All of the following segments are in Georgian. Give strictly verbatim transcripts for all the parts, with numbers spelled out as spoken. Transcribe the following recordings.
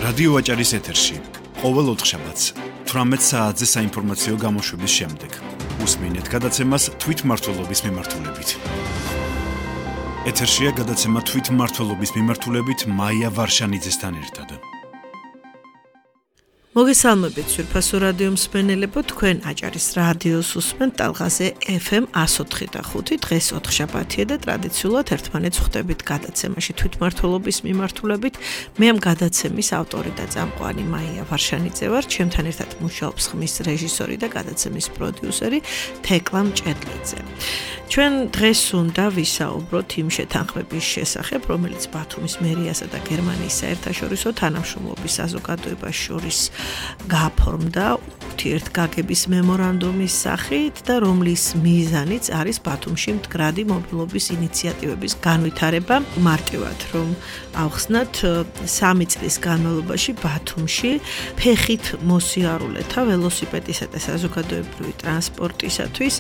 რადიო აჭარის ეთერში ყოველ ოთხშაბათს თვრამეტ საათზე საინფორმაციო გამოშვების შემდეგ უსმინეთ გადაცემას თვითმმართველობის მიმართულებით. ეთერშია გადაცემა თვითმმართველობის მიმართულებით მაია ვარშანიძესთან ერთად. მოგესალმებით სვირფასო რადიო მსმენელებო, თქვენ აჭარის რადიოს უსმენთ ტალღაზე ეფ ემ εκατო ოთხი და ხუთი. დღეს ოთხშაბათია და ტრადიციულად ერთმანეთს ხვდებით გადაცემაში თვითმმართველობის მიმართულებით. მე ამ გადაცემის ავტორი და წამყვანი მაია ვარშანიძე ვარ, ჩემთან ერთად მუშაობს ხმის რეჟისორი და გადაცემის პროდიუსერი თეკლა მჭედლიძე. ჩვენ დღეს უნდა ვისაუბროთ იმ შეთანხმების შესახებ, რომელიც ბათუმის მერიასა და გერმანიის საერთაშორისო თანამშრომლობის საზოგადოებას შორის გაფორმდა ურთიერთგაგების მემორანდუმის სახით და რომლის მიზანიც არის ბათუმში მდგრადი მობილობის ინიციატივების განვითარება. მარტივად რომ ავხსნათ, სამი წლის განმავლობაში ბათუმში ფეხით მოსიარულეთა ველოსიპედისა და საზოგადოებრივი ტრანსპორტისათვის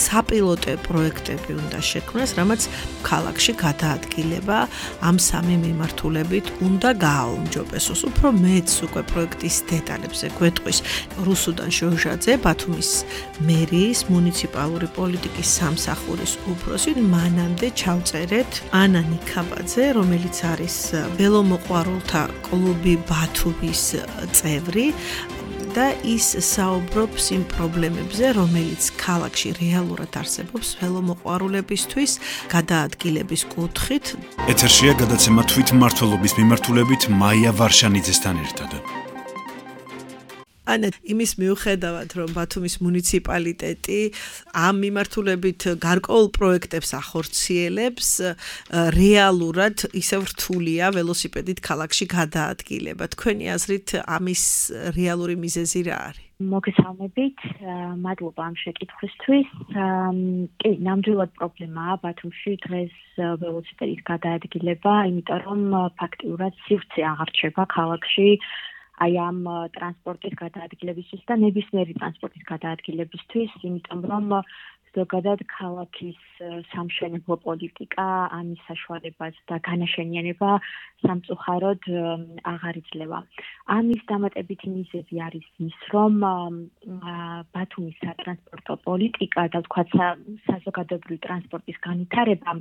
საპილოტე პროექტები უნდა შექმნას, რამაც ქალაქში გადაადგილება ამ სამი მიმართულებით უნდა გააუმჯობესოს. უფრო მეც უკვე პროექტის დეტალებზე გვეტყვის რუსუდან შოჟაძე, ბათუმის მერიის მუნიციპალური პოლიტიკის სამსახურის უფროსი. მანამდე ჩავწერეთ ანა ნიქაბაძე, რომელიც არის ველომოყვარულთა კლუბი ბათუმის წევრი და ის საუბრობს იმ პრობლემებზე, რომელიც ქალაქში რეალურად არსებობს ველომოყვარულებისთვის გადაადგილების კუთხით. ეთერშია გადაცემა თვითმმართველობის მიმართულებით მაია ვარშანიძესთან ერთად. ანა, იმის მიუხედავად, რომ ბათუმის მუნიციპალიტეტი ამ მიმართულებით გარკვეულ პროექტებს ახორციელებს, რეალურად ისევ რთულია ველოსიპედით ქალაქში გადაადგილება. თქვენი აზრით ამის რეალური მიზეზი რა არის? მოგესალმებით, მადლობა ამ შეკითხვისთვის. კი, ნამდვილად პრობლემაა ბათუმში დღეს ველოსიპედით გადაადგილება, იმიტომ რომ ფაქტიურად სივრცე აღარ რჩება ქალაქში აი ამ ტრანსპორტის გადაადგილებისთვის და ნებისმიერი ტრანსპორტის გადაადგილებისთვის, იმიტომ რომ ზოგადად ქალაქის სამშენებლო პოლიტიკა, ამის საშუალებას და განაშენიანება სამწუხაროდ აღარ იძლევა. ამის დამატებითი მიზეზი არის ის, რომ ბათუმის სატრანსპორტო პოლიტიკა და ვთქვათ საზოგადოებრივი ტრანსპორტის განვითარება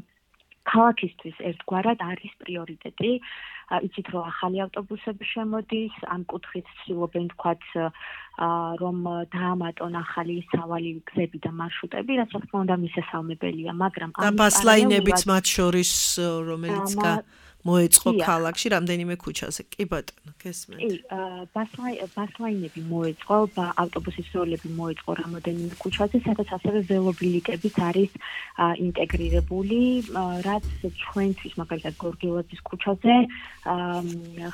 ქალაქისთვის ერთგვარად არის პრიორიტეტი. იცით, რომ ახალი ავტობუსები შემოდის, ამ კუთხით ცდილობენ ვთქვათ, რომ დაამატონ ახალი სავალი გზები და მარშრუტები, რაც რა თქმა უნდა მისასალმებელია, მაგრამ და ბასლაინებიც მათ შორის, რომელიც მოეწყო ქალაქში რამდენიმე ქუჩაზე. კი ბატონო, გესმენთ. კი, ბასლაინები მოეწყო, ავტობუსის როლები მოეწყო რამდენიმე ქუჩაზე, სადაც ასევე ველობილიკებიც არის ინტეგრირებული, რაც ჩვენთვის, მაგალითად გორგილაძის ქუჩაზე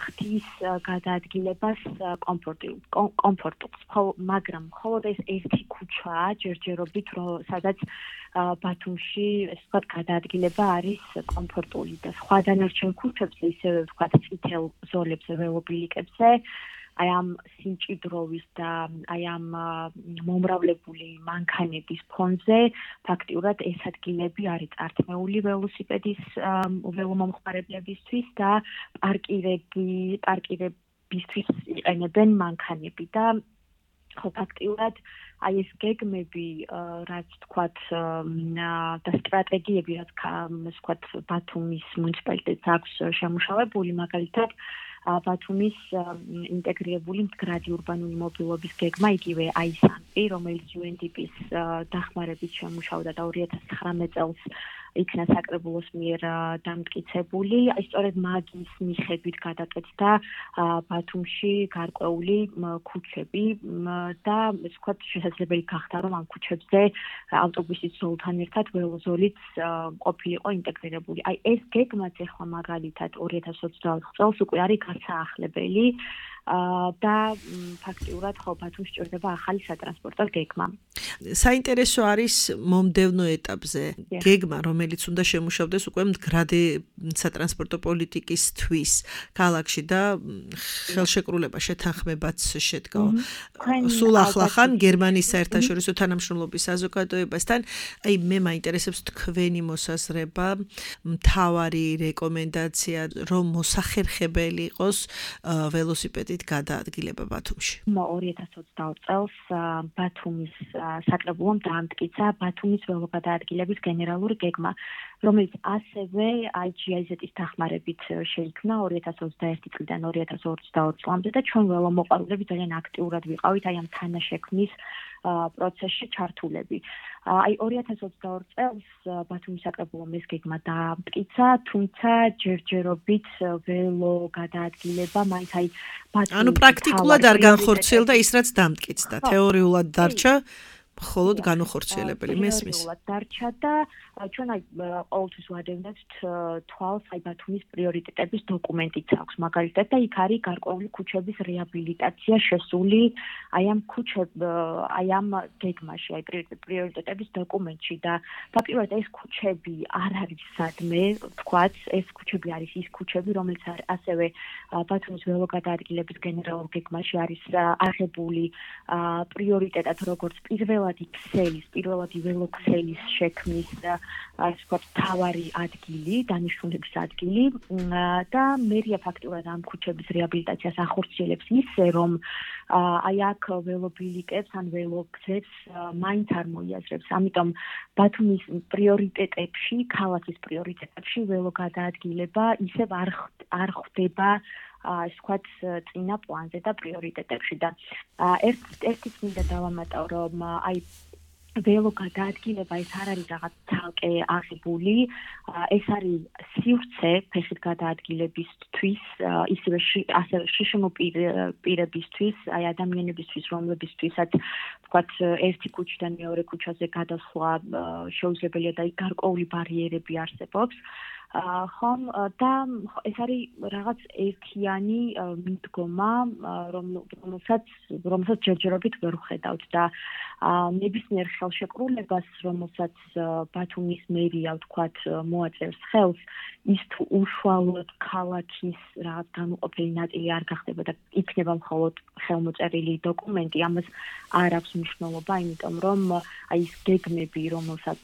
ხდის გადაადგილებას კომფორტულს, მაგრამ მხოლოდ ეს ერთი ქუჩაა ჯერჯერობით, სადაც ბათუმში ეს ვთქვათ გადაადგილება არის კომფორტული და სხვა დანარჩენ ქუჩებზე, ისევე ვთქვათ წითელ ზოლებზე, ველობილიკებზე, აი ამ სიმჭიდროვის და აი ამ მომრავლებული მანქანების ფონზე ფაქტიურად ეს ადგილები არის წართმეული ველოსიპედის ველომომხმარებლებისთვის და პარკირები პარკირებისთვის იყენებენ მანქანები და ხო ფაქტიურად აი ეს გეგმები, რაც თქვათ და სტრატეგიები, რაც ვთქვათ ბათუმის მუნიციპალიტეტს აქვს შემუშავებული, მაგალითად ბათუმის ინტეგრირებული მდგრადი ურბანული მობილობის გეგმა, იგივე აისამპი, რომელიც იუ ენ დი პის დახმარებით შემუშავდა და ორი ათას ცხრამეტ წელს იქნა საკრებულოს მიერ დამტკიცებული. აი სწორედ მაგის მიხედვით გადაკეთდა ბათუმში გარკვეული ქუჩები და ვთქვათ შესაძლებელი გახდა, რომ ამ ქუჩებზე ავტობუსის ზოლთან ერთად ველოზოლიც ყოფილიყო ინტეგრირებული. აი ეს გეგმაც ახლა მაგალითად ორი ათას ოცდაოთხ წელს უკვე არის გასაახლებელი. და ფაქტიურად ხო ბათუმს ჭირდება ახალი სატრანსპორტო გეგმა. საინტერესო არის მომდევნო ეტაპზე გეგმა, რომელიც უნდა შემუშავდეს უკვე მდგრადი სატრანსპორტო პოლიტიკისთვის ქალაქში და ხელშეკრულება შეთანხმებაც შედგა. სულ ახლახან გერმანიის საერთაშორისო თანამშრომლობის საზოგადოებასთან, აი მე მაინტერესებს თქვენი მოსაზრება, მთავარი რეკომენდაცია, რომ მოსახერხებელი იყოს ველოსიპედით გადაადგილება ბათუმში. ორი ათას ოცდაოთხ წელს ბათუმის საკრებულომ დაამტკიცა ბათუმის ველოგადაადგილების გენერალური გეგმა, რომელიც ასევე აი ჯი აი ზეტის დახმარებით შეიქმნა ორი ათას ოცდაერთი წლიდან ორი ათას ოცდაოთხ წლამდე და ჩვენ ველომოყვარულები ძალიან აქტიურად ვიყავით აი ამ თანაშექმნის პროცესში ჩართულები. აი ორი ათას ოცდაორ წელს ბათუმის საკრებულომ ეს გეგმა დაამტკიცა, თუმცა ჯერჯერობით ველო გადაადგილება მაინც აი ბათუმის ანუ პრაქტიკულად არ განხორციელდა ის რაც დამტკიცდა, თეორიულად დარჩა მხოლოდ განუხორციელებელი მესმის. დარჩა და ჩვენ აი ყოველთვის ვადევნებთ თვალს აი ბათუმის პრიორიტეტების დოკუმენტიც აქვს მაგალითად და იქ არის გარკვეული ქუჩების რეაბილიტაცია შესული აი ამ ქუჩებ აი ამ გეგმაში აი პრიორიტეტების დოკუმენტში და ფაქტობრივად ეს ქუჩები არ არის სადმე თქვაც ეს ქუჩები არის ის ქუჩები რომელიც ასევე ბათუმის ველოგადაადგილების გენერალურ გეგმაში არის აღებული პრიორიტეტად როგორც პირველადი ქსელის პირველადი ველოქსელის შექმნის ასე ვთქვათ, თავარი ადგილი, დანიშნულების ადგილი და მერია ფაქტურად ამ ქუჩების რეაბილიტაციას ახორციელებს ისე, რომ აი აქ ველობილიკებს ან ველოგზებს მაინც არ მოიაზრებს. ამიტომ ბათუმის პრიორიტეტებში, ქალაქის პრიორიტეტებში ველოგადაადგილება ისევ არ არ ხვდება ასე ვთქვათ, წინა პლანზე და პრიორიტეტებში და ერთ ერთიც მინდა დავამატავ, რომ აი ველოგადაადგილება ეს არ არის რაღაც ცალკე აღებული, ეს არის სივრცე ფეხით გადაადგილებისთვის, ისევე ასევე შიშმო პირებისთვის, აი ადამიანებისთვის, რომლებისთვისაც ვთქვათ, ერთი ქუჩიდან მეორე ქუჩაზე გადასვლა შეუძლებელია და გარკვეული ბარიერები არსებობს. ხომ და ეს არის რაღაც ერთიანი მიდგომა, რომელსაც რომელსაც ჯერჯერობით ვერ ვხედავთ და ნებისმიერ ხელშეკრულებას, რომელსაც ბათუმის მერია ვთქვათ მოაწერს ხელს, ის თუ უშუალოდ ქალაქის რაღაც განუყოფელი ნაწილი არ გახდება და იქნება მხოლოდ ხელმოწერილი დოკუმენტი, ამას არ აქვს მნიშვნელობა, იმიტომ რომ აი ეს გეგმები, რომელსაც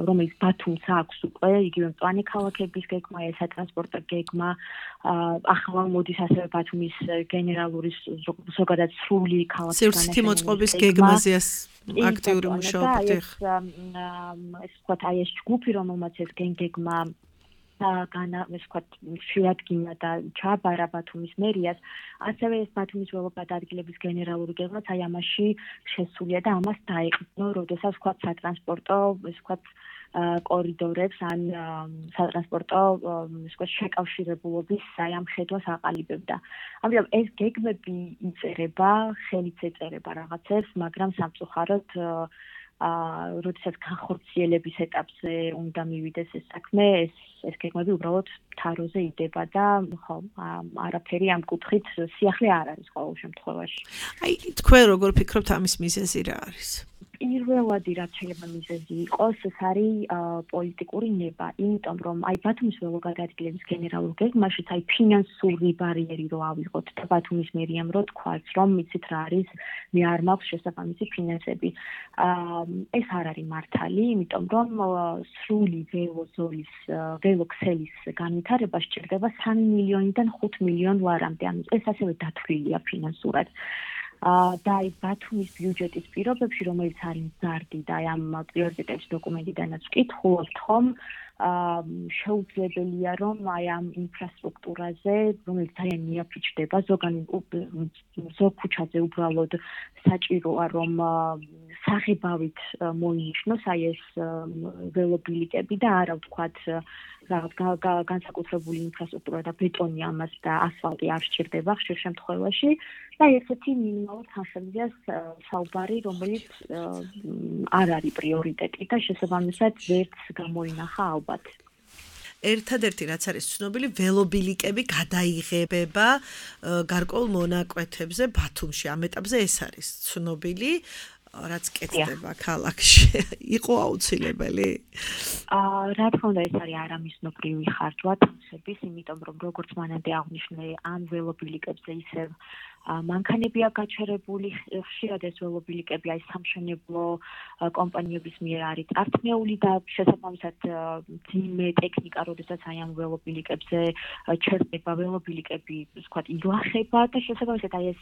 რომელიც ბათუმს აქვს უკვე, იგივე მწვანე ქალაქების გეგმა, ეს სატრანსპორტო გეგმა, ახლა მოდის ასევე ბათუმის გენერალური ზოგადად სრული ქალაქის სივრცითი მოწყობის გეგმაზე აქტიური მუშაობთ. ეს ეს ვთქვათ, აი ეს ჯგუფი, რომელმაც ეს გეგმა განა, ეს ვთქვათ, შეადგინა და ჩააბარა ბათუმის მერიას, ასევე ეს ბათუმის ველოგადაადგილების გენერალური გეგმაც აი ამაში შესულია და ამას დაეყრდნო, როდესაც ვთქვათ, სატრანსპორტო, ეს ვთქვათ, კორიდორებს ან სატრანსპორტო ისე შეკავშირებულობის აი ამ ხედვას აყალიბებდა. ამიტომ ეს გეგმები იწერება, ხელით ეწერება რაღაცებს, მაგრამ სამწუხაროდ აა როდესაც განხორციელების ეტაპზე უნდა მივიდეს ეს საქმე, ეს ეს გეგმები უბრალოდ თაროზე იდება და ხო, არაფერი ამ კუთხით სიახლე არ არის ყოველ შემთხვევაში. აი თქვენ როგორ ფიქრობთ ამის მიზეზი რა არის? პირველადი რაც შეიძლება მიზეზი იყოს, ეს არის პოლიტიკური ნება, იმიტომ რომ აი ბათუმის ველოგადაადგილების გენერალურ გეგმაშიც აი ფინანსური ბარიერი რო ავიღოთ და ბათუმის მერიამ რო თქვას, რომ იცით რა არის, მე არ მაქვს შესაბამისი ფინანსები. ეს არ არის მართალი, იმიტომ რომ სრული ველოზოლის ველოქსელის განვითარება სჭირდება სამი მილიონიდან ხუთ მილიონ ლარამდე, ანუ ეს ასევე დათვლილია ფინანსურად. და აი ბათუმის ბიუჯეტის პირობებში, რომელიც არის მზარდი და აი ამ პრიორიტეტების დოკუმენტიდანაც ვკითხულობთ ხომ, შეუძლებელია რომ აი ამ ინფრასტრუქტურაზე, რომელიც ძალიან მიაფიჩდება, ზოგან ზოგ ქუჩაზე უბრალოდ საჭიროა რომ საღებავით მოინიშნოს აი ეს ველობილიკები და არა ვთქვათ რაღაც განსაკუთრებული ინფრასტრუქტურა და ბეტონი ამას და ასფალტი არ სჭირდება ხშირ შემთხვევაში და ესეთი მინიმალურ თანხებზეა საუბარი, რომელიც არ არის პრიორიტეტი და შესაბამისად ვერც გამოინახა ალბათ. ერთადერთი რაც არის ცნობილი, ველობილიკები გადაიღებება გარკვეულ მონაკვეთებზე ბათუმში. ამ ეტაპზე ეს არის ცნობილი, რაც კეთდება ქალაქში. იყო აუცილებელი? აა, რა თქმა უნდა, ეს არის არამიზნობრივი ხარჯვა თამსების, იმიტომ რომ როგორც მანამდე აღნიშნე, ამ ველობილიკებზე ისევ მანქანებია გაჩერებული, ხშირად ეს ველობილიკები აი სამშენებლო კომპანიების მიერ არის წარქმეული და შესაბამისად ძიმე ტექნიკა, როდესაც აი ამ ველობილიკებზე ჩერდება ველობილიკები, ვთქვათ, ილახება და შესაბამისად აი ეს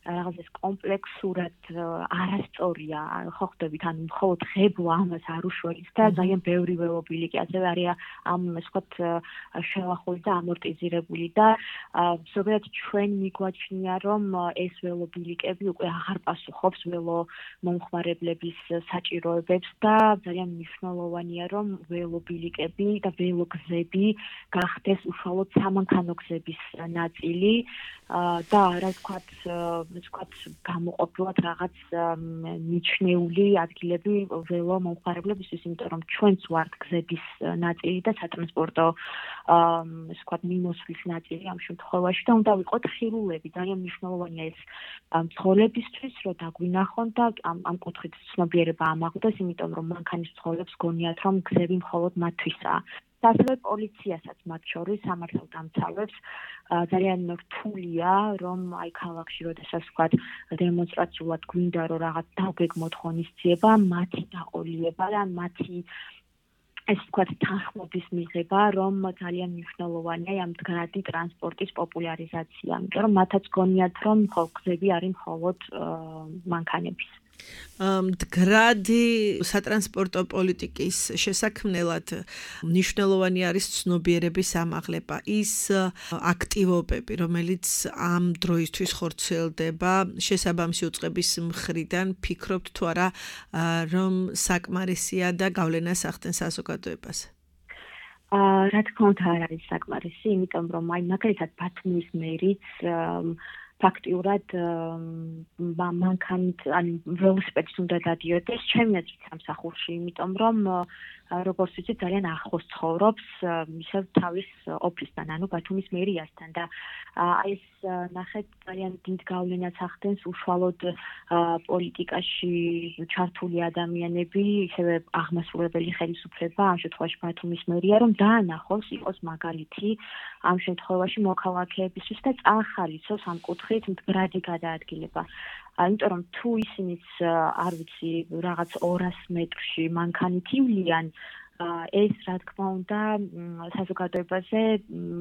რაღაც ეს კომპლექსურად არასწორია, ხო ხვდებით, ანუ მხოლოდ ღებვა ამას არ უშველის და ძალიან ბევრი ველობილიკი ასევე არის ამ ვთქვათ შელახული და ამორტიზირებული და ზოგადად ჩვენ მიგვაჩნია რომ ეს ველობილიკები უკვე აღარ პასუხობს ველო მომხმარებლების საჭიროებებს და ძალიან მნიშვნელოვანია რომ ველობილიკები და ველოგზები გახდეს უშუალოდ სამანქანო გზების ნაწილი და რა ვთქვათ ვთქვათ გამოყოფილად რაღაც მიჩნეული ადგილები ველო მომხმარებლებისთვის, იმიტომ რომ ჩვენც ვართ გზების ნაწილი და სატრანსპორტო ვთქვათ მიმოსვლის ნაწილი ამ შემთხვევაში და უნდა ვიყოთ ხირულები. ძალიან მნიშვნელოვანია ეს მძღოლებისთვის, რომ დაგვინახონ და ამ ამ კუთხით ცნობიერება ამაღლდეს, იმიტომ რომ მანქანის მძღოლებს გონიათ, რომ გზები მხოლოდ მათთვისაა. და ასევე პოლიციასაც მათ შორის სამართალდამცავებს ძალიან რთულია, რომ აი ქალაქში როდესაც ვთქვათ დემონსტრაციულად გვინდა რომ რაღაც დაგეგმოთ ღონისძიება, მათი დაყოლიება და მათი ეს ვთქვათ თანხმობის მიღება, რომ ძალიან მნიშვნელოვანია ამ მდგრადი ტრანსპორტის პოპულარიზაცია, იმიტომ რომ მათაც გონიათ, რომ გზები არის მხოლოდ მანქანების. მდგრადი სატრანსპორტო პოლიტიკის შესაქმნელად მნიშვნელოვანი არის ცნობიერების ამაღლება, ის აქტივობები, რომელიც ამ დროისთვის ხორციელდება შესაბამისი უწყების მხრიდან, ფიქრობთ თუ არა, რომ საკმარისია და გავლენას ახდენს საზოგადოებას? აა, რა თქმა უნდა არ არის საკმარისი, იმიტომ რომ აი მაგალითად ბათუმის მერიც ფაქტიურად მანქანით, ანუ ველოსიპედით უნდა დადიოდეს ჩემი აზრით სამსახურში, იმიტომ რომ როგორც ვიცით, ძალიან ახლოს ცხოვრობს ისევ თავის ოფისთან, ანუ ბათუმის მერიასთან და აი ეს ნახეთ ძალიან დიდ გავლენას ახდენს უშუალოდ პოლიტიკაში ჩართული ადამიანები, ისევე აღმასრულებელი ხელისუფლება, ამ შემთხვევაში ბათუმის მერია, რომ დაანახოს, იყოს მაგალითი ამ შემთხვევაში მოქალაქეებისთვის და წაახალისოს ამ კუთხით მდგრადი გადაადგილება. იმიტომ რომ თუ ისინიც არ ვიცი რაღაც ორას მეტრში მანქანით ივლიან, ეს რა თქმა უნდა საზოგადოებაზე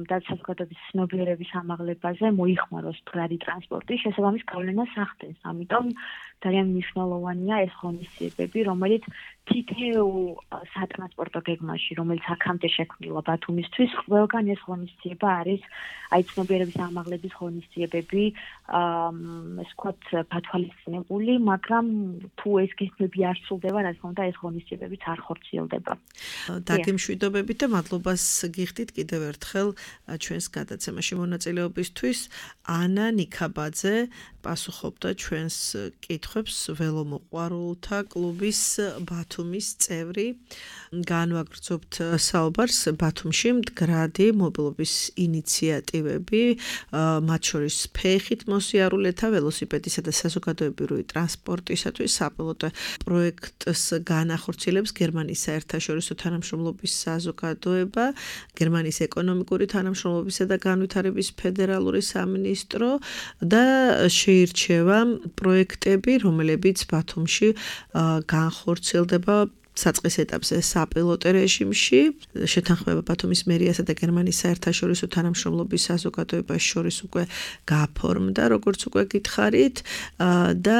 და საზოგადოების ცნობიერების ამაღლებაზე მოიხმაროს მდგრადი ტრანსპორტი, შესაბამის გავლენას ახდენს. ამიტომ ძალიან მნიშვნელოვანია ეს ღონისძიებები, რომელიც თითოეულ სატრანსპორტო გეგმაში, რომელიც აქამდე შექმნილა ბათუმისთვის, ყველგან ეს ღონისძიება არის აი ცნობიერების ამაღლების ღონისძიებები, ეს ვთქვათ გათვალისწინებული, მაგრამ თუ ეს გეგმები არ სრულდება, რა თქმა უნდა ეს ღონისძიებებიც არ ხორციელდება. დაგემშვიდობებით და მადლობას გიხდით კიდევ ერთხელ ჩვენს გადაცემაში მონაწილეობისთვის. ანა ნიქაბაძე პასუხობდა ჩვენს კითხვებს, ველომოყვარულთა კლუბის ბათუმის წევრი. განვაგრძობთ საუბარს ბათუმში მდგრადი მობილობის ინიციატივები, მათ შორის ფეხით მოსიარულეთა ველოსიპედისა და საზოგადოებრივი ტრანსპორტისათვის საპილოტო პროექტს განახორციელებს გერმანიის საერთაშორისო თანამშრომლობის საზოგადოება, გერმანიის ეკონომიკური თანამშრომლობისა და განვითარების ფედერალური სამინისტრო და შეირჩევა პროექტები, რომლებიც ბათუმში განხორციელდება საწყის ეტაპზე საპილოტო რეჟიმში, შეთანხმება ბათუმის მერიასა და გერმანიის საერთაშორისო თანამშრომლობის საზოგადოებას შორის უკვე გაფორმდა, როგორც უკვე გითხარით, და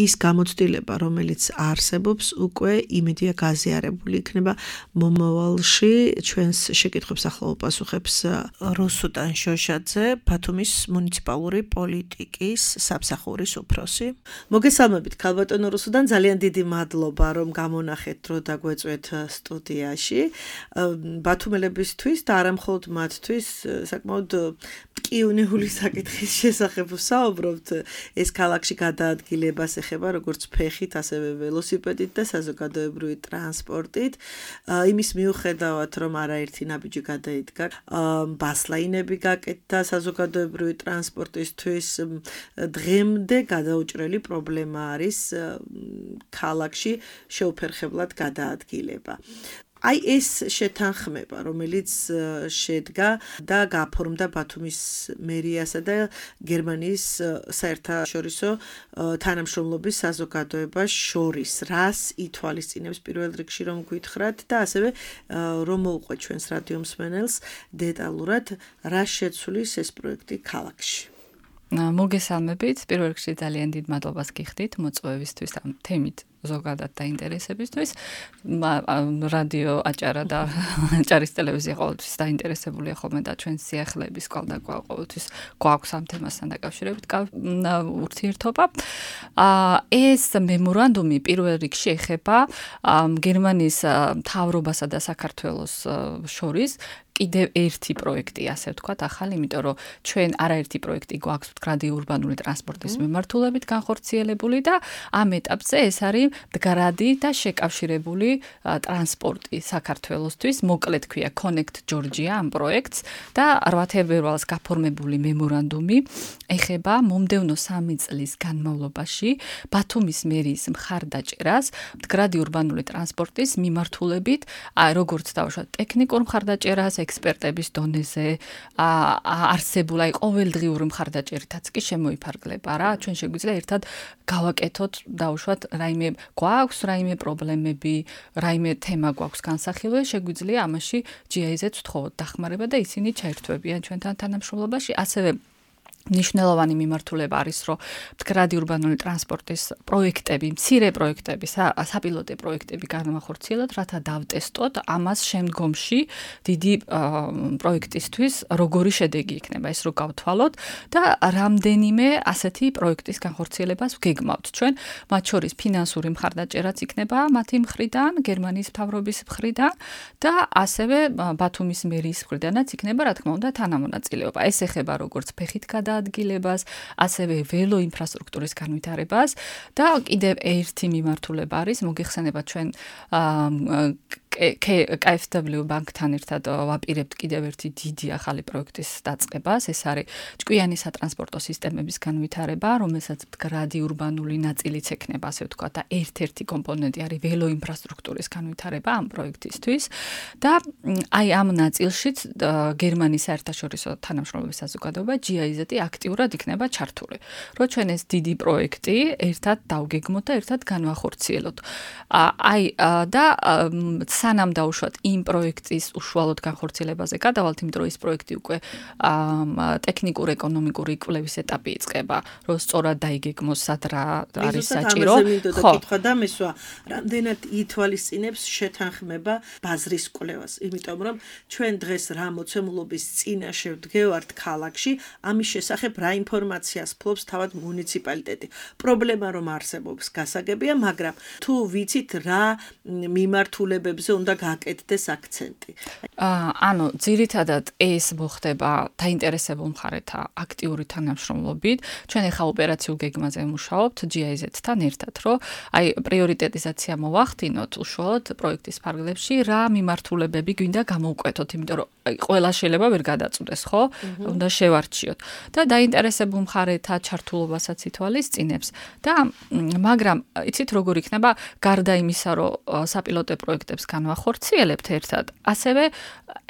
ის გამოცდილება, რომელიც არსებობს, უკვე იმედია გაზიარებული იქნება მომავალში. ჩვენს შეკითხვებს ახლა უპასუხებს რუსუდან შოშაძე, ბათუმის მუნიციპალური პოლიტიკის სამსახურის უფროსი. მოგესალმებით, ქალბატონო რუსუდან, ძალიან დიდი მადლობა, რომ გამონახეთ დრო დაგვეწვეთ სტუდიაში. ბათუმელებისთვის და არა მხოლოდ მათთვის საკმაოდ მტკივნეული საკითხის შესახებ ვსაუბრობთ. ეს ქალაქში გადაადგილებას ეხება როგორც ფეხით, ასევე ველოსიპედით და საზოგადოებრივი ტრანსპორტით. იმის მიუხედავად, რომ არაერთი ნაბიჯი გადაიდგა, ბასლაინები გაკეთდა საზოგადოებრივი ტრანსპორტისთვის, დღემდე გადაუჭრელი პრობლემა არის ქალაქში შეუფერხებლად გადაადგილება. აი ეს შეთანხმება, რომელიც შედგა და გაფორმდა ბათუმის მერიასა და გერმანიის საერთაშორისო თანამშრომლობის საზოგადოებას შორის, რას ითვალისწინებს პირველ რიგში რომ გვითხრათ და ასევე რომ მოვყვეთ ჩვენს რადიო მსმენელს დეტალურად რა შეცვლის ეს პროექტი ქალაქში. მოგესალმებით, პირველ რიგში ძალიან დიდ მადლობას გიხდით მოწვევისთვის ამ თემით ზოგადად დაინტერესებისთვის. რადიო აჭარა და აჭარის ტელევიზია ყოველთვის დაინტერესებულია ხოლმე და ჩვენ სიახლეების კვალდაკვალ ყოველთვის გვაქვს ამ თემასთან დაკავშირებით ურთიერთობა. ეს მემორანდუმი პირველ რიგში ეხება გერმანიის მთავრობასა და საქართველოს შორის კიდევ ერთი პროექტი, ასე ვთქვათ, ახალი, იმიტომ რომ ჩვენ არაერთი პროექტი გვაქვს მდგრადი ურბანული ტრანსპორტის მიმართულებით განხორციელებული და ამ ეტაპზე ეს არის მდგრადი და შეკავშირებული ტრანსპორტი საქართველოსთვის, მოკლედ ქვია Connect Georgia ამ პროექტს და რვა თებერვალს გაფორმებული მემორანდუმი ეხება მომდევნო სამი წლის განმავლობაში ბათუმის მერიის მხარდაჭერას მდგრადი ურბანული ტრანსპორტის მიმართულებით, როგორც დავუშვათ ტექნიკურ მხარდაჭერას ექსპერტების დონეზე არსებულ აი ყოველდღიური მხარდაჭერითაც კი შემოიფარგლება რა. ჩვენ შეგვიძლია ერთად გავაკეთოთ დავუშვათ რაიმე გვაქვს რაიმე პრობლემები, რაიმე თემა გვაქვს განსახილველი, შეგვიძლია ამაში ჯი აი ზედს ვთხოვოთ დახმარება და ისინი ჩაერთვებიან ჩვენთან თანამშრომლობაში. ასევე მნიშვნელოვანი მიმართულება არის, რომ მდგრადი ურბანული ტრანსპორტის პროექტები, მცირე პროექტები, საპილოტე პროექტები განვახორციელოთ, რათა დავტესტოთ ამას შემდგომში დიდი პროექტისთვის როგორი შედეგი იქნება, ეს რო გავთვალოთ და რამდენიმე ასეთი პროექტის განხორციელებას ვგეგმავთ ჩვენ, მათ შორის ფინანსური მხარდაჭერაც იქნება მათი მხრიდან, გერმანიის მთავრობის მხრიდან და ასევე ბათუმის მერიის მხრიდანაც იქნება, რა თქმა უნდა, თანამონაწილეობა. ეს ეხება როგორც ფეხით გადა ადგილებას, ასევე ველო ინფრასტრუქტურის განვითარებას და კიდევ ერთი მიმართულება არის, მოგეხსენებათ ჩვენ კეი ეფ დაბლიუ ბანკთან ერთად ვაპირებთ კიდევ ერთი დიდი ახალი პროექტის დაწყებას, ეს არის ჭკვიანი სატრანსპორტო სისტემების განვითარება, რომელსაც მდგრადი ურბანული ნაწილიც ექნება, ასე ვთქვათ, და ერთ-ერთი კომპონენტი არის ველო ინფრასტრუქტურის განვითარება ამ პროექტისთვის და აი ამ ნაწილშიც გერმანიის საერთაშორისო თანამშრომლობის საზოგადოება ჯი აი ზედ აქტიურად იქნება ჩართული. რო ჩვენ ეს დიდი პროექტი ერთად დავგეგმოთ და ერთად განვახორციელოთ. აი და სანამ დავუშვათ იმ პროექტის უშუალოდ განხორციელებაზე გადავალთ, იმიტომ რომ ეს პროექტი უკვე ტექნიკურ ეკონომიკური კვლევის ეტაპი იწყება, რომ სწორად დაიგეგმოს სად რა არის საჭირო. ხო, კითხვა და მესვა, რამდენად ითვალისწინებს შეთანხმება ბაზრის კვლევას, იმიტომ რომ ჩვენ დღეს რა მოცემულობის წინაშე ვდგევართ ქალაქში, ამის შესახებ რა ინფორმაციას ფლობს თავად მუნიციპალიტეტი. პრობლემა რომ არსებობს გასაგებია, მაგრამ თუ ვიცით რა მიმართულებებზე უნდა გაკეთდეს აქცენტი. ანუ ძირითადად ეს მოხდება დაინტერესებულ მხარეთა აქტიური თანამშრომლობით. ჩვენ ახლა ოპერაციულ გეგმაზე ვმუშაობთ ჯი აი ზედთან ერთად, რომ აი პრიორიტეტიზაცია მოვახდინოთ უშუალოდ პროექტის ფარგლებში, რა მიმართულებები გვინდა გამოვკვეთოთ, იმიტომ რომ ყველა შეიძლება ვერ გადაწყვეტს, ხო? უნდა შევარჩიოთ. და დაინტერესებულ მხარეთა ჩართულობასაც ითვალისწინებს და მაგრამ იცით როგორ იქნება გარდა იმისა, რომ საპილოტე პროექტებს განვახორციელებთ ერთად, ასევე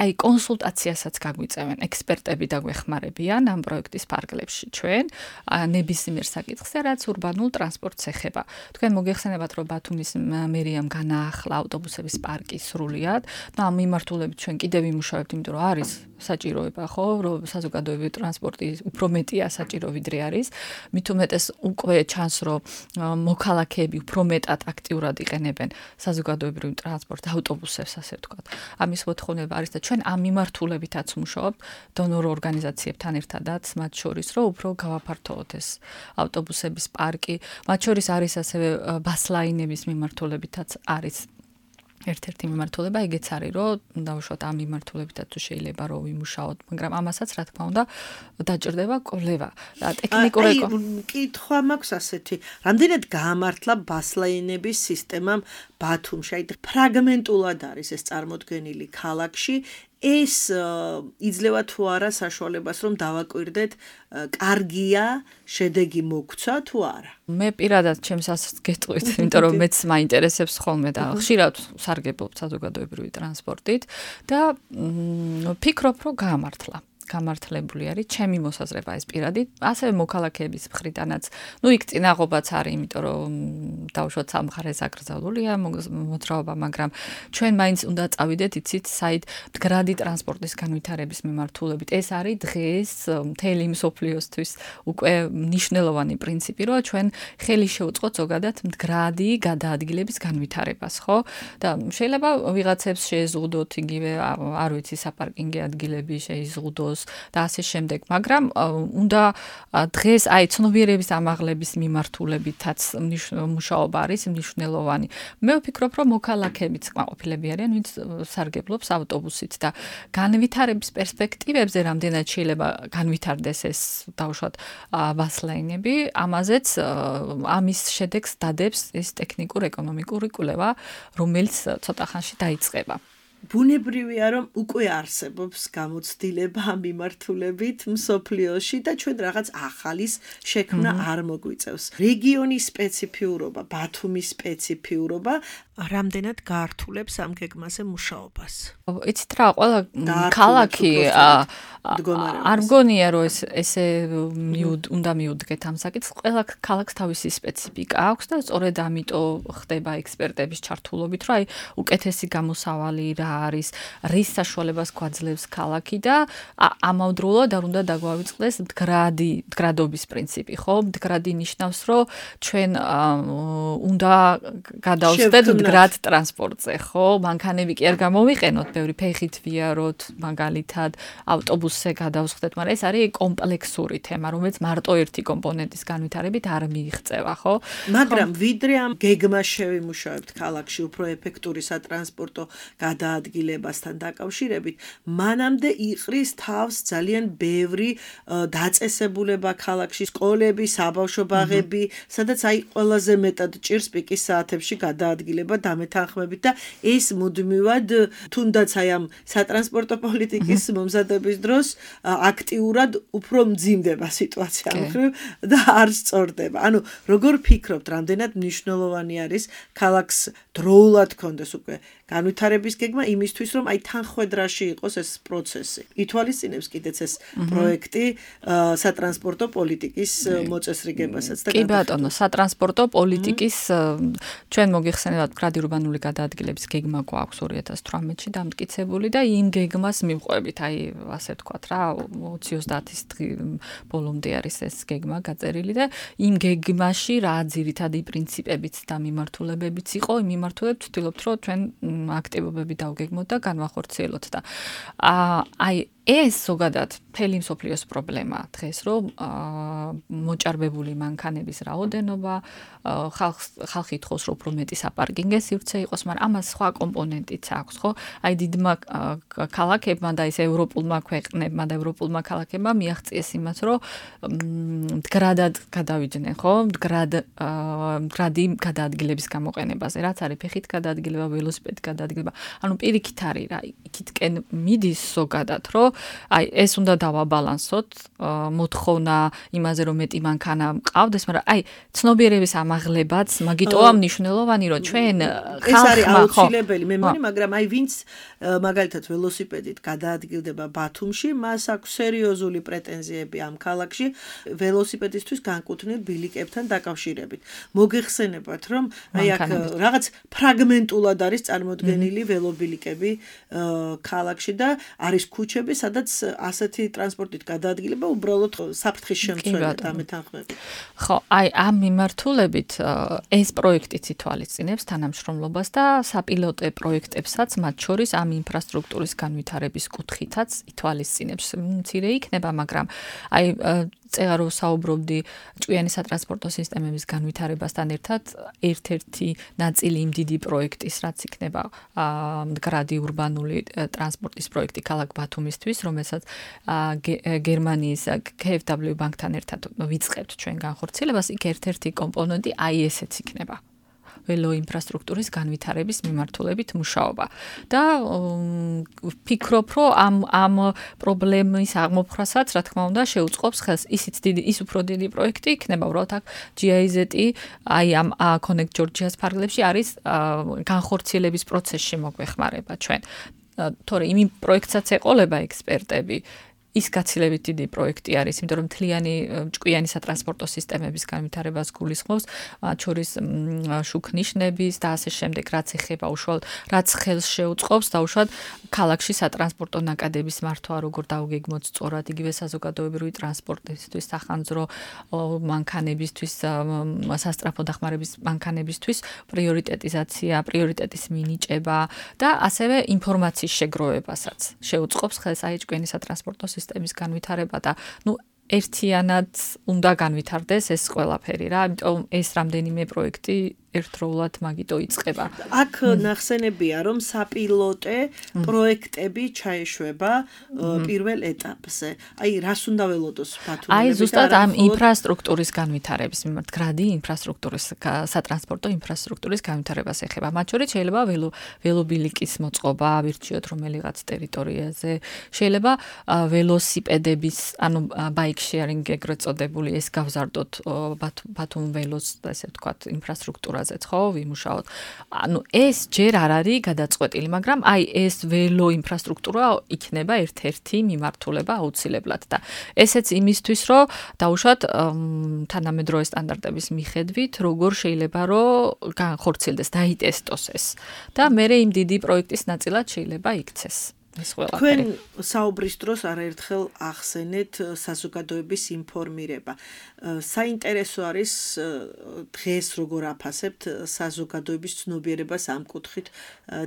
აი კონსულტაციასაც გაგვიწევენ ექსპერტები და გვეხმარებიან ამ პროექტის ფარგლებში ჩვენ ნებისმიერ საკითხზე, რაც ურბანულ ტრანსპორტს ეხება. თქვენ მოგეხსენებათ, რომ ბათუმის მერიამ განაახლა ავტობუსების პარკი სრულიად და ამ მიმართულებით ჩვენ კიდევ ვიმუშავებთ, იმიტომ რომ არის საჭიროება, ხო, რომ საზოგადოებრივი ტრანსპორტი უფრო მეტია საჭირო ვიდრე არის. მით უმეტეს უკვე ჩანს, რომ მოქალაქეები უფრო მეტად აქტიურად იყენებენ საზოგადოებრივ ტრანსპორტს, ავტობუსებს, ასე ვთქვათ. ამის მოთხოვნება არის და ჩვენ ამ მიმართულებითაც ვმუშაობთ დონორ ორგანიზაციებთან ერთადაც, მათ შორის, რომ უფრო გავაფართოვოთ ეს ავტობუსების პარკი. მათ შორის არის ასევე ბასლაინების მიმართულებითაც არის ერთ-ერთი მიმართულება ეგეც არის, რომ დავუშვათ ამ მიმართულებითაც თუ შეიძლება რომ ვიმუშაოთ, მაგრამ ამასაც რა თქმა უნდა დაჭირდება კვლევა. და ტექნიკური კითხვა მაქვს ასეთი, რამდენად გაამართლა ბასლაინების სისტემამ ბათუმში, აი ფრაგმენტულად არის ეს წარმოდგენილი ქალაქში, ეს იძლევა თუ არა საშუალებას რომ დავაკვირდეთ, კარგია, შედეგი მოგცა თუ არა. მე პირადად ჩემს ასეც გეტყვით, იმიტომ რომ მეც მაინტერესებს ხოლმე და ხშირად სარგებლობ საზოგადოებრივი ტრანსპორტით და ფიქრობ რომ გაამართლა. გამართლებული არის ჩემი მოსაზრება ეს პირადი, ასევე მოქალაქეების მხრიდანაც. ნუ იქ წინაღობაც არის, იმიტომ რომ დავუშვათ სამხარეს აკრძალულია მოძრაობა, მაგრამ ჩვენ მაინც უნდა წავიდეთ, იცით, საით მდგრადი ტრანსპორტის განვითარების მიმართულებით. ეს არის დღეს მთელი მსოფლიოსთვის უკვე მნიშვნელოვანი პრინციპი, რომ ჩვენ ხელი შევუწყოთ ზოგადად მდგრადი გადაადგილების განვითარებას, ხო? და შეიძლება ვიღაცებს შეეზღუდოთ იგივე, არ ვიცი, საპარკინგი ადგილები შეიზღუდოს და ასე შემდეგ, მაგრამ უნდა დღეს აი ცნობიერების ამაღლების მიმართულებითაც მუშაობა არის მნიშვნელოვანი. მე ვფიქრობ, რომ მოქალაქეებიც კმაყოფილები არიან, ვინც სარგებლობს ავტობუსით და განვითარების პერსპექტივებზე რამდენად შეიძლება განვითარდეს ეს დავუშვათ ბასლაინები, ამაზეც ამის შედეგს დადებს ეს ტექნიკურ-ეკონომიკური კვლევა, რომელიც ცოტა ხანში დაიწყება. ბუნებრივია რომ უკვე არსებობს გამოცდილება ამ მიმართულებით მსოფლიოში და ჩვენ რაღაც ახალის შექმნა არ მოგვიწევს. რეგიონის სპეციფიურობა, ბათუმის სპეციფიურობა რამდენად გაართულებს ამ გეგმაზე მუშაობას. იცით რა, ყველა ქალაქი არ მგონია რომ ეს ესე უნდა მიუდგეთ ამ საკითხს. ყველა ქალაქს თავისი სპეციფიკა აქვს და სწორედ ამიტომ ხდება ექსპერტების ჩართულობით, რომ აი უკეთესი გამოსავალი რა არის, რის საშუალებას გვაძლევს ქალაქი და ამავდროულად არ უნდა დაგვავიწყდეს მდგრადი, მდგრადობის პრინციპი, ხო? მდგრადი ნიშნავს, რომ ჩვენ უნდა გადავხდეთ მდგრად ტრანსპორტზე, ხო? მანქანები კი არ გამოვიყენოთ, ბევრი ფეხით ვიაროთ, მაგალითად, ავტობუსზე გადავხდეთ, მაგრამ ეს არის კომპლექსური თემა, რომელიც მარტო ერთი კომპონენტის განვითარებით არ მიიღწევა, ხო? მაგრამ ვიდრე ამ გეგმას შევიმუშავებთ ქალაქში უფრო ეფექტური სატრანსპორტო გადაადგილებასთან დაკავშირებით, მანამდე იყრის თავს ძალიან ბევრი დაწესებულება ქალაქში, სკოლები, საბავშვო ბაღები, სადაც აი ყველაზე მეტად ჭირს პიკის საათებში გადაადგილება დამეთანხმებით და ეს მუდმივად თუნდაც აი ამ სატრანსპორტო პოლიტიკის მომზადების დროს აქტიურად უფრო მძიმდება სიტუაცია მხრივ და არ სწორდება. ანუ როგორ ფიქრობთ, რამდენად მნიშვნელოვანი არის ქალაქს დროულად კონდეს უკვე განვითარების გეგმა იმისთვის, რომ აი თანხვედრაში იყოს ეს პროცესი. ითვალისწინებს კიდეც ეს პროექტი სატრანსპორტო პოლიტიკის მოწესრიგებასაც და კი ბატონო, სატრანსპორტო პოლიტიკის ჩვენ მოგიხსენებათ მდგრადი ურბანული გადაადგილების გეგმა გვაქვს ორი ათას თვრამეტში დამტკიცებული და იმ გეგმას მივყვებით, აი ასე ვთქვათ რა, ოცი ოცდაათის ბოლომდე არის ეს გეგმა გაწერილი და იმ გეგმაში რა ძირითადი პრინციპებიც და მიმართულებებიც იყო, იმ მიმართულებით ვთქვით, რომ ჩვენ აქტივობები დავგეგმოთ და განვახორციელოთ და აი ეს ზოგადად მთელი მსოფლიოს პრობლემაა დღეს, რომ მოჭარბებული მანქანების რაოდენობა, ხალხი ითხოვს, რომ უფრო მეტი საპარკინგე სივრცე იყოს, მაგრამ ამას სხვა კომპონენტიც აქვს, ხო? აი დიდმა ქალაქებმა და ის ევროპულმა ქვეყნებმა და ევროპულმა ქალაქებმა მიაღწიეს იმას, რომ მდგრადად გადავიდნენ, ხო? მდგრად მდგრადი გადაადგილების გამოყენებაზე, რაც არის ფეხით გადაადგილება, ველოსიპედით გადაადგილება. ანუ პირიქით არის რა, იქითკენ მიდის ზოგადად, რომ აი ეს უნდა დავაბალანსოთ, მოთხოვნა იმაზე რომ მეტი მანქანა მყავდეს, მაგრამ აი ცნობიერების ამაღლებაც მაგიტოა მნიშვნელოვანი, რომ ჩვენ ეს არის აუცილებელი, მე მგონი, მაგრამ აი ვინც მაგალითად ველოსიპედით გადაადგილდება ბათუმში, მას აქვს სერიოზული პრეტენზიები ამ ქალაქში ველოსიპედისთვის განკუთვნილ ბილიკებთან დაკავშირებით. მოგეხსენებათ, რომ აი აქ რაღაც ფრაგმენტულად არის წარმოდგენილი ველობილიკები ქალაქში და არის ქუჩები, სადაც ასეთი ტრანსპორტით გადაადგილება უბრალოდ საფრთხის შემცველია დამეთანხმებით. ხო, აი ამ მიმართულებით ეს პროექტიც ითვალისწინებს თანამშრომლობას და საპილოტე პროექტებსაც, მათ შორის ამ ინფრასტრუქტურის განვითარების კუთხითაც ითვალისწინებს. მცირე იქნება, მაგრამ აი წეღარ ვსაუბრობდი ჭკვიანი სატრანსპორტო სისტემების განვითარებასთან ერთად ერთ-ერთი ნაწილი იმ დიდი პროექტის, რაც იქნება მდგრადი ურბანული ტრანსპორტის პროექტი ქალაქ ბათუმისთვის, რომელსაც გერმანიის K F W ბანკთან ერთად ვიწყებთ ჩვენ განხორციელებას, იქ ერთ-ერთი კომპონენტი აი ესეც იქნება. ველო ინფრასტრუქტურის განვითარების მიმართულებით მუშაობა. და ვფიქრობ, რომ ამ ამ პრობლემის აღმოფხვრასაც, რა თქმა უნდა, შეუწყობს ხელს ისიც დიდი, ის უფრო დიდი პროექტი იქნება, უბრალოდ აქ G I Z-ი, აი ამ Connect Georgia-ს ფარგლებში არის განხორციელების პროცესში მოგვეხმარება ჩვენ. თორე იმ პროექტსაც ეყოლება ექსპერტები. ის გაცილებით დიდი პროექტი არის, იმიტომ რომ მთლიანი ჭკვიანი სატრანსპორტო სისტემების განვითარებას გულისხმობს, მათ შორის შუქნიშნების და ასე შემდეგ, რაც ეხება უშუალოდ, რაც ხელს შეუწყობს დაუშვათ ქალაქში სატრანსპორტო ნაკადების მართვა, როგორ დავგეგმოთ სწორად, იგივე საზოგადოებრივი ტრანსპორტისთვის, სახანძრო მანქანებისთვის, სასწრაფო დახმარების მანქანებისთვის პრიორიტეტიზაცია, პრიორიტეტის მინიჭება და ასევე ინფორმაციის შეგროვებასაც შეუწყობს ხელს აი ჭკვიანი სატრანსპორტო სისტემის განვითარება და ნუ ერთიანად უნდა განვითარდეს ეს ყველაფერი რა, ამიტომ ეს რამდენიმე პროექტი ერთდროულად მაგიტო იწყება. აქ ნახსენებია, რომ საპილოტე პროექტები ჩაეშვება პირველ ეტაპზე. აი, რას უნდა ველოდოს ბათუმელები? აი, ზუსტად ამ ინფრასტრუქტურის განვითარების მიმართ, გრადი ინფრასტრუქტურის სატრანსპორტო ინფრასტრუქტურის განვითარებას ეხება. მათ შორის შეიძლება ველო ველობილიკის მოწყობა, ვირჩიოთ რომელიღაც ტერიტორიაზე, შეიძლება ველოსიპედების, ანუ bike sharing ეგრეთ წოდებული ეს გავზარდოთ ბათუმ ველოს, ესე ვთქვათ, ინფრასტრუქტურაზე ხო, ვიმუშაოთ. ანუ ეს ჯერ არ არის გადაწყვეტილი, მაგრამ აი ეს ველო ინფრასტრუქტურა იქნება ერთ-ერთი მიმართულება აუცილებლად და ესეც იმისთვის, რომ დაუშვათ თანამედროვე სტანდარტების მიხედვით, როგორ შეიძლება რომ განხორციელდეს, დაიტესტოს ეს და მე იმ დიდი პროექტის ნაწილად შეიძლება იქცეს. თქვენ საუბრის დროს არაერთხელ ახსენეთ საზოგადოების ინფორმირება. საინტერესო არის დღეს როგორ აფასებთ საზოგადოების ცნობიერებას ამ კუთხით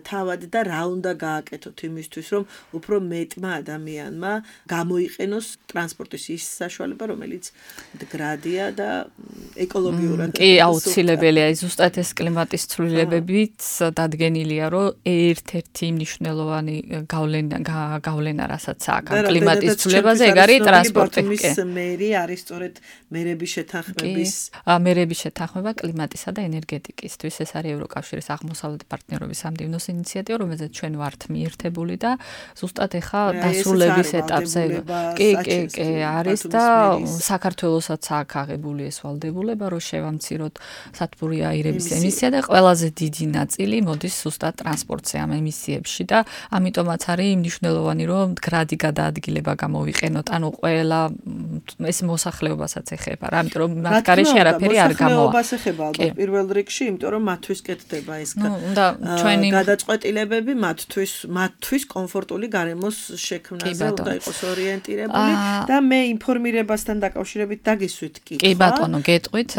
თავად და რა უნდა გააკეთოთ იმისთვის, რომ უფრო მეტმა ადამიანმა გამოიყენოს ტრანსპორტის ის საშუალება, რომელიც მდგრადია და ეკოლოგიურად. კი, აუცილებელია, ზუსტად ეს კლიმატის ცვლილებებით დადგენილია, რომ ერთ-ერთი მნიშვნელოვანი გავლენა გავლენა რასაც აქვს კლიმატის ცვლილებაზე, ეგ არის ტრანსპორტი. ბათუმის მერი არის სწორედ მერების შეთანხმების მერების შეთანხმება კლიმატისა და ენერგეტიკისთვის. ეს არის ევროკავშირის აღმოსავლეთ პარტნიორობის სამდივნოს ინიციატივა, რომელზეც ჩვენ ვართ მიერთებული და ზუსტად ეხა დასრულების ეტაპზე. კი, კი, კი, არის და საქართველოსაც აქვს აღებული ეს ვალდებულება, რომ შევამციროთ სათბური აირების ემისია და ყველაზე დიდი ნაწილი მოდის ზუსტად ტრანსპორტზე ამ ემისიებში და ამიტომაც არის მნიშვნელოვანი, რომ გრადი გადაადგილება გამოვიყენოთ, ანუ ყველა ეს მოსახლეობასაც ეხება რა, იმიტომ რომ მათ გარეშე არაფერი არ გამოვა. მოსახლეობას ეხება ალბათ პირველ რიგში, იმიტომ რომ მათთვის კეთდება ეს გადაწყვეტილებები, მათთვის მათთვის კომფორტული გარემოს შექმნაზე უნდა იყოს ორიენტირებული და მე ინფორმირებასთან დაკავშირებით დაგისვით კი. კი ბატონო, გეტყვით,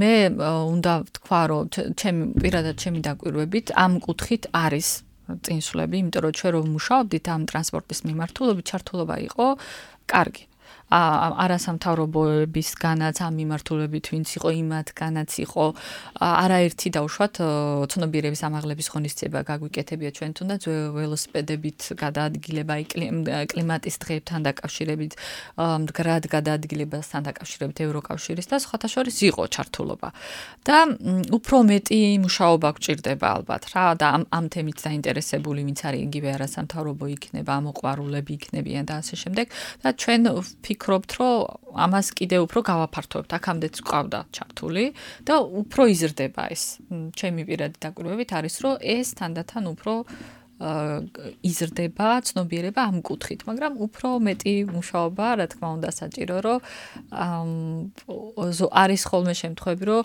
მე უნდა ვთქვა, რომ ჩემი პირადად ჩემი დაკვირვებით ამ კუთხით არის წინსვლები, იმიტომ რომ ჩვენ რომ ვმუშაობდით ამ ტრანსპორტის მიმართულებით, ჩართულობა იყო კარგი. არასამთავრობოებისგანაც ამ მიმართულებით ვინც იყო, იმათგანაც იყო არაერთი დაუშვათ ცნობიერების ამაღლების ღონისძიება გაგვიკეთებია ჩვენ თუნდაც ველოსიპედებით გადაადგილება, კლიმატის დღეებთან დაკავშირებით, მდგრად გადაადგილებასთან დაკავშირებით ევროკავშირის და სხვათა შორის იყო ჩართულობა. და უფრო მეტი მუშაობა გვჭირდება ალბათ რა და ამ ამ თემით დაინტერესებული ვინც არის იგივე არასამთავრობო იქნება, მოყვარულები იქნებიან და ასე შემდეგ და ჩვენ ვფიქრობთ, რომ ამას კიდევ უფრო გავაფართოვებთ. აქამდეც გვყავდა ჩართული და უფრო იზრდება ეს. ჩემი პირადი დაკვირვებით არის, რომ ეს თანდათან უფრო იზრდება ცნობიერება ამ კუთხით, მაგრამ უფრო მეტი მუშაობა, რა თქმა უნდა, საჭირო, რომ არის ხოლმე შემთხვევები, რომ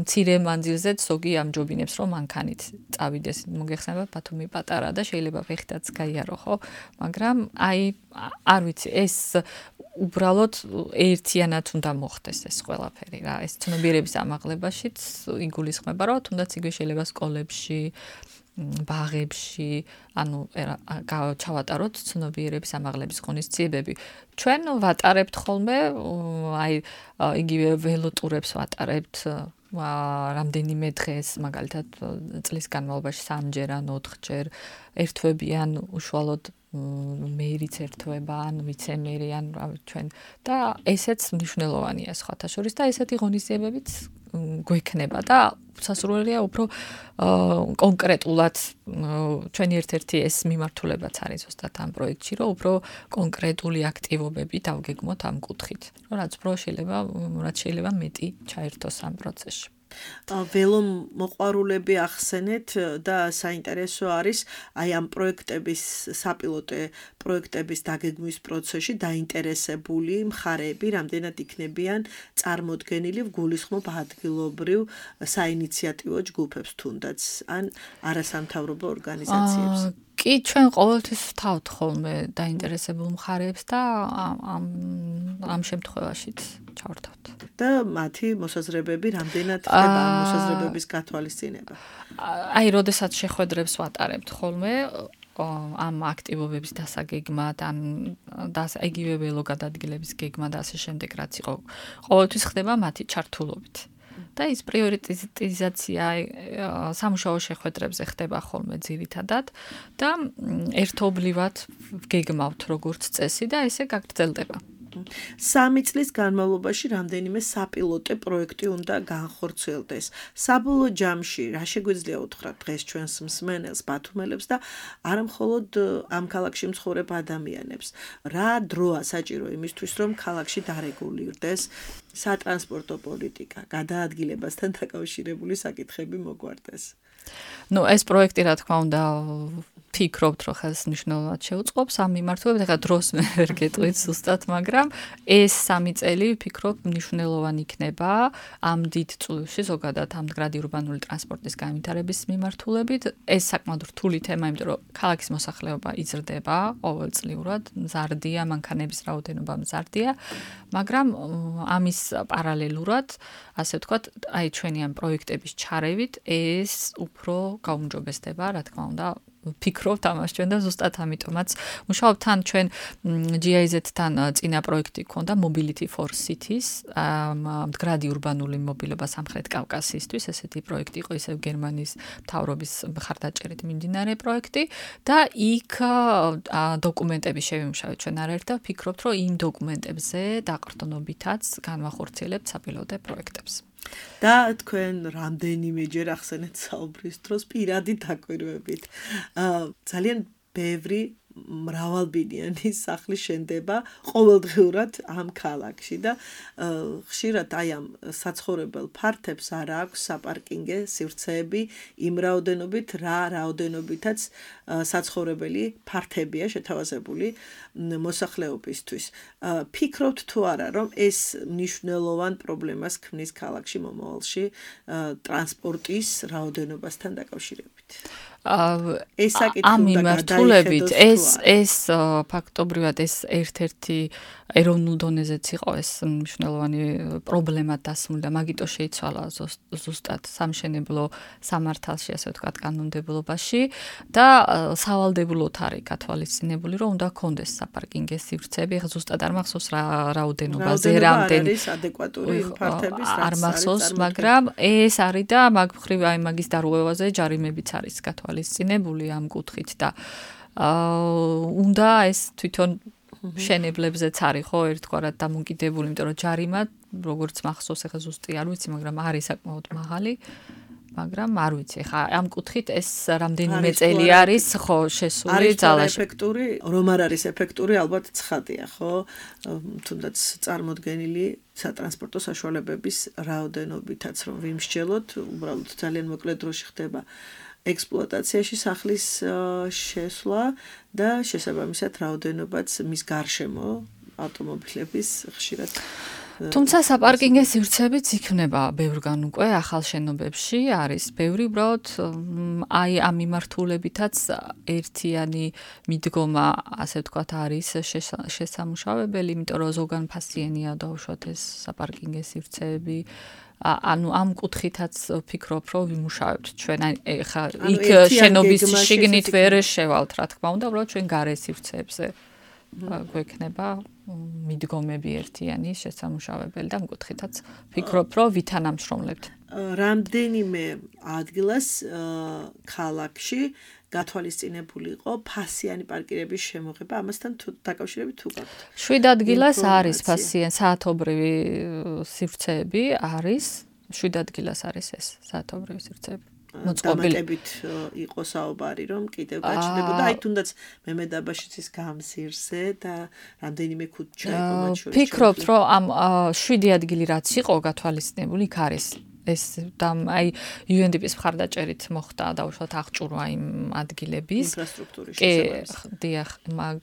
მცირე მანძილზეც ზოგი ამჯობინებს, რომ მანქანით წავიდეს. მოგეხსენება ბათუმი პატარა და შეიძლება ფეხითაც გაიარო, ხო? მაგრამ აი არ ვიცი, ეს უბრალოდ ერთიანად უნდა მოხდეს ეს ყველაფერი რა. ეს ცნობიერების ამაღლებაშიც იგულისხმება, რომ თუნდაც იგივე შეიძლება სკოლებში ბაღებში, ანუ ჩავატაროთ ცნობიერების ამაღლების ღონისძიებები. ჩვენ ვატარებთ ხოლმე, აი იგივე ველოტურებს ვატარებთ რამდენიმე დღეს, მაგალითად წლის განმავლობაში სამჯერ ან ოთხჯერ ერთვებიან უშუალოდ მეირიც ერთვება ან ვიცემერი ან ჩვენ და ესეც მნიშვნელოვანია სხვათა შორის და ესეთი ღონისძიებებიც გვექნება და სასურველია უფრო კონკრეტულად ჩვენი ერთ-ერთი ეს მიმართულებაც არის ზუსტად ამ პროექტში, რომ უფრო კონკრეტული აქტივობები დავგეგმოთ ამ კუთხით. რაც უფრო შეიძლება, რაც შეიძლება მეტი ჩაერთოს ამ პროცესში. ველო მოყვარულები ახსენეთ და საინტერესო არის აი ამ პროექტების საპილოტე პროექტების დაგეგმვის პროცესში დაინტერესებული მხარეები რამდენად იქნებიან წარმოდგენილი გულისხმობ ადგილობრივ საინიციატივო ჯგუფებს თუნდაც ან არასამთავრობო ორგანიზაციებს. კი, ჩვენ ყოველთვის ვთავთ ხოლმე დაინტერესებულ მხარეებს და ამ ამ შემთხვევაშიც ჩავართავთ. და მათი მოსაზრებები რამდენად ხდება ამ მოსაზრებების გათვალისწინება? აი, როდესაც შეხვედრებს ვატარებთ ხოლმე ამ აქტივობების დასაგეგმად, ან იგივე ველო გადადგილების გეგმა და ასე შემდეგ, რაც იყო, ყოველთვის ხდება მათი ჩართულობით. და ის პრიორიტიზაცია სამუშაო შეხვედრებზე ხდება ხოლმე ძირითადად და ერთობლივად გეგმავთ როგორც წესი და ესე გაგრძელდება. სამი წლის განმავლობაში რამდენიმე საპილოტე პროექტი უნდა განხორციელდეს. საბოლოო ჯამში რა შეგვიძლია უთხრათ დღეს ჩვენს მსმენელს, ბათუმელებს და არა მხოლოდ ამ ქალაქში მცხოვრებ ადამიანებს. რა დროა საჭირო იმისთვის, რომ ქალაქში დარეგულირდეს სატრანსპორტო პოლიტიკა, გადაადგილებასთან დაკავშირებული საკითხები მოგვარდეს. ნუ ეს პროექტი რა თქმა უნდა ფიქრობთ, რომ ხას მნიშვნელოვნად შეუწყობს ამ მიმართულებით, ეხლა დროს მე ვერ გეტყვით ზუსტად, მაგრამ ეს სამი წელი ვფიქრობ მნიშვნელოვანი იქნება ამ დიდ წვლილში ზოგადად ამ მდგრადი ურბანული ტრანსპორტის განვითარების მიმართულებით. ეს საკმაოდ რთული თემა, იმიტომ რომ ქალაქის მოსახლეობა იზრდება ყოველწლიურად, მზარდია, მანქანების რაოდენობა მზარდია, მაგრამ ამის პარალელურად, ასე ვთქვათ, აი ჩვენი ამ პროექტების ჩარევით ეს უფრო გაუმჯობესდება, რა თქმა უნდა, ვფიქრობთ ამას ჩვენ და ზუსტად ამიტომაც მუშაობთ თან ჩვენ ჯი აი ზედ-თან წინა პროექტი ქონდა Mobility for Cities, მდგრადი ურბანული მობილობა სამხრეთ კავკასიისთვის, ესეთი პროექტი იყო ისევ გერმანიის მთავრობის მხარდაჭერით მიმდინარე პროექტი და იქ დოკუმენტები შევიმუშავეთ ჩვენ არაერთ და ვფიქრობთ, რომ იმ დოკუმენტებზე დაყრდნობითაც განვახორციელებთ საპილოტე პროექტებს. და თქვენ რამდენიმეჯერ ახსენეთ საუბრის დროს პირადი დაკვირვებით. ძალიან ბევრი მრავალბინიანი სახლი შენდება ყოველდღიურად ამ ქალაქში და ხშირად აი ამ საცხოვრებელ ფართებს არ აქვს საპარკინგე სივრცეები იმ რაოდენობით, რა რაოდენობითაც საცხოვრებელი ფართებია შეთავაზებული მოსახლეობისთვის. ფიქრობთ თუ არა, რომ ეს მნიშვნელოვან პრობლემას ქმნის ქალაქში მომავალში ტრანსპორტის რაოდენობასთან დაკავშირებით? ეს საკითხი ამ მიმართულებით ეს ეს ფაქტობრივად ეს ერთ-ერთი ეროვნულ დონეზეც იყო ეს მნიშვნელოვანი პრობლემა დასმული და მაგიტო შეიცვალა ზუსტად სამშენებლო სამართალში, ასე ვთქვათ, კანონმდებლობაში და სავალდებულოდ არის გათვალისწინებული, რომ უნდა ქონდეს საპარკინგე სივრცეები. ეხლა ზუსტად არ მახსოვს რა რაოდენობაზე, რამდენი არის ადეკვატური იმ ფართების, არ მახსოვს, მაგრამ ეს არის და მაგ მხრივ აი მაგის დარღვევაზე ჯარიმებიც არის გათვალისწინებული ამ კუთხით და უნდა ეს თვითონ შენებლებზეც არის ხო ერთგვარად დამოკიდებული, იმიტომ რომ ჯარიმა როგორც მახსოვს, ეხლა ზუსტი არ ვიცი, მაგრამ არის საკმაოდ მაღალი, მაგრამ არ ვიცი, ხა ამ კუთხით ეს რამდენიმე წელი არის ხო შესული ძალაში. ეფექტური, რომ არ არის ეფექტური, ალბათ ცხადია, ხო? თუნდაც წარმოდგენილი სატრანსპორტო საშუალებების რაოდენობითაც რომ ვიმსჯელოთ, უბრალოდ ძალიან მოკლე დროში ხდება ექსპლუატაციაში სახლის შესვლა და შესაბამისად რაოდენობაც მის გარშემო ავტომობილების ხშირად თუმცა საპარკინგო სივრცეებიც იქნება ბევრგან უკვე ახალ შენობებში არის ბევრი უბრალოდ აი ამ მიმართულებითაც ერთიანი მიდგომა ასე ვთქვათ არის შესამუშავებელი, იმიტომ რომ ზოგან ფასიანია დაუშვათ ეს საპარკინგო სივრცეები ანუ ამ კუთხითაც ვფიქრობ, რომ ვიმუშავებთ ჩვენ ხა იქ შენობის შიგნით ვერ შევალთ, რა თქმა უნდა, უბრალოდ ჩვენ გარე სივრცეებზე გვექნება მიდგომები ერთიანი შესამუშავებელი და ამ კუთხითაც ვფიქრობ, რომ ვითანამშრომლებთ. რამდენიმე ადგილას ქალაქში გათვალისწინებული იყო ფასიანი პარკირების შემოღება, ამასთან დაკავშირებით თუ გაქვთ? შვიდ ადგილას არის ფასიანი საათობრივი სივრცეები არის, შვიდ ადგილას არის ეს საათობრივი სივრცეები. დამატებით იყო საუბარი, რომ კიდევ გაჩნდებოდა, აი თუნდაც მემედაბაშიც ის გამსირზე და რამდენიმე ქუჩა იყო მათ შორის. ვფიქრობ, რომ ამ შვიდი ადგილი რაც იყო გათვალისწინებული, იქ არის ეს და აი იუ ენ დი პის მხარდაჭერით მოხდა დაუშვათ აღჭურვა იმ ადგილების ინფრასტრუქტურის შესაბამისად. კი, დიახ, მაგ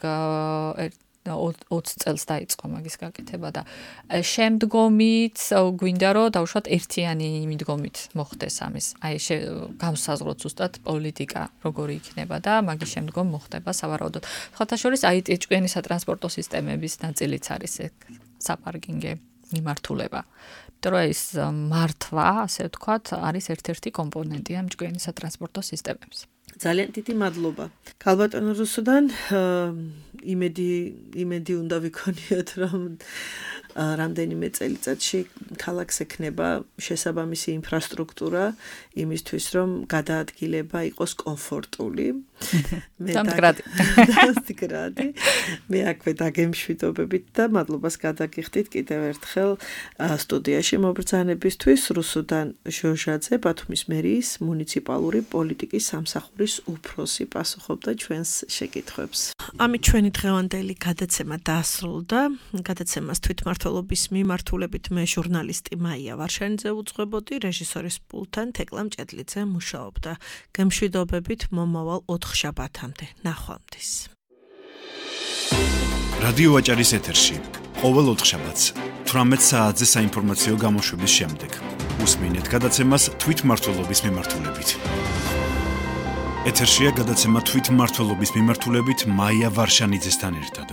ოცი წელს დაიწყო მაგის გაკეთება და შემდგომით გვინდა რომ დაუშვათ ერთიანი მიდგომით მოხდეს ამის. აი განსაზღვროთ ზუსტად პოლიტიკა როგორი იქნება და მაგის შემდგომ მოხდება სავარაუდოდ. სხვათა შორის აი ჭკვიანი სატრანსპორტო სისტემების ნაწილიც არის საპარკინგო მიმართულება. იმიტომ რომ ეს მართვა, ასე ვთქვათ, არის ერთ-ერთი კომპონენტი ამ ჭკვიანი სატრანსპორტო სისტემების. ძალიან დიდი მადლობა. ქალბატონო რუსუდან, იმედი იმედი უნდა ვიქონიოთ, რომ რამდენიმე წელიწადში ქალაქს ექნება შესაბამისი ინფრასტრუქტურა იმისთვის, რომ გადაადგილება იყოს კომფორტული. დამდგრადი. დამდგრადი. მე აქვე დაგემშვიდობებით და მადლობას გადაგიხდით კიდევ ერთხელ სტუდიაში მობრძანებისთვის. რუსუდან ჟოჟაძე, ბათუმის მერიის მუნიციპალური პოლიტიკის სამსახურის უფროსი პასუხობდა ჩვენს შეკითხვებს. ამით ჩვენი დღევანდელი გადაცემა დაასრულდა. გადაცემას თვითმმართველობის მიმართულებით მე ჟურნალისტი მაია ვარშანიძე უძღვებოდი, რეჟისორის პულტთან თეკლა მჭედლიძე მუშაობდა. გემშვიდობებით მომავალ ოთხშაბათამდე. ნახვამდის. რადიო აჭარის ეთერში ყოველ ოთხშაბათს თვრამეტ საათზე საინფორმაციო გამოშვების შემდეგ უსმინეთ გადაცემას თვითმმართველობის მიმართულებით. ეთერშია გადაცემა თვითმმართველობის მიმართულებით მაია ვარშანიძესთან ერთად.